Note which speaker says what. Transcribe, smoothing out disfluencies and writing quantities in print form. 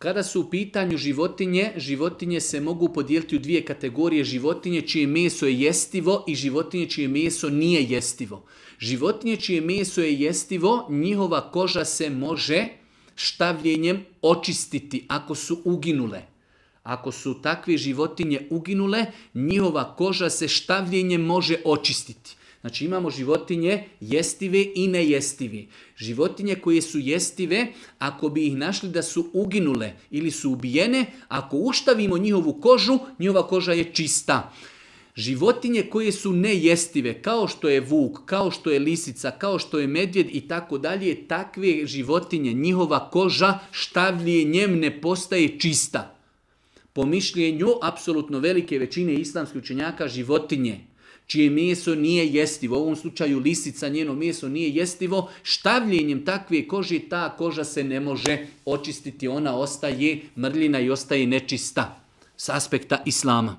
Speaker 1: Kada su u pitanju životinje, životinje se mogu podijeliti u dvije kategorije. Životinje čije meso je jestivo i životinje čije meso nije jestivo. Životinje čije meso je jestivo, njihova koža se može štavljenjem očistiti ako su uginule. Ako su takve životinje uginule, njihova koža se štavljenjem može očistiti. Znači imamo životinje jestive i nejestive. Životinje koje su jestive, ako bi ih našli da su uginule ili su ubijene, ako uštavimo njihovu kožu, njihova koža je čista. Životinje koje su nejestive, kao što je vuk, kao što je lisica, kao što je medvjed i tako dalje, takve životinje, njihova koža štavljenjem ne postaje čista. Po mišljenju apsolutno velike većine islamskih učenjaka, životinje čije meso nije jestivo, u ovom slučaju lisica, njeno meso nije jestivo, štavljenjem takve kože ta koža se ne može očistiti, ona ostaje mrljina i ostaje nečista s aspekta islama.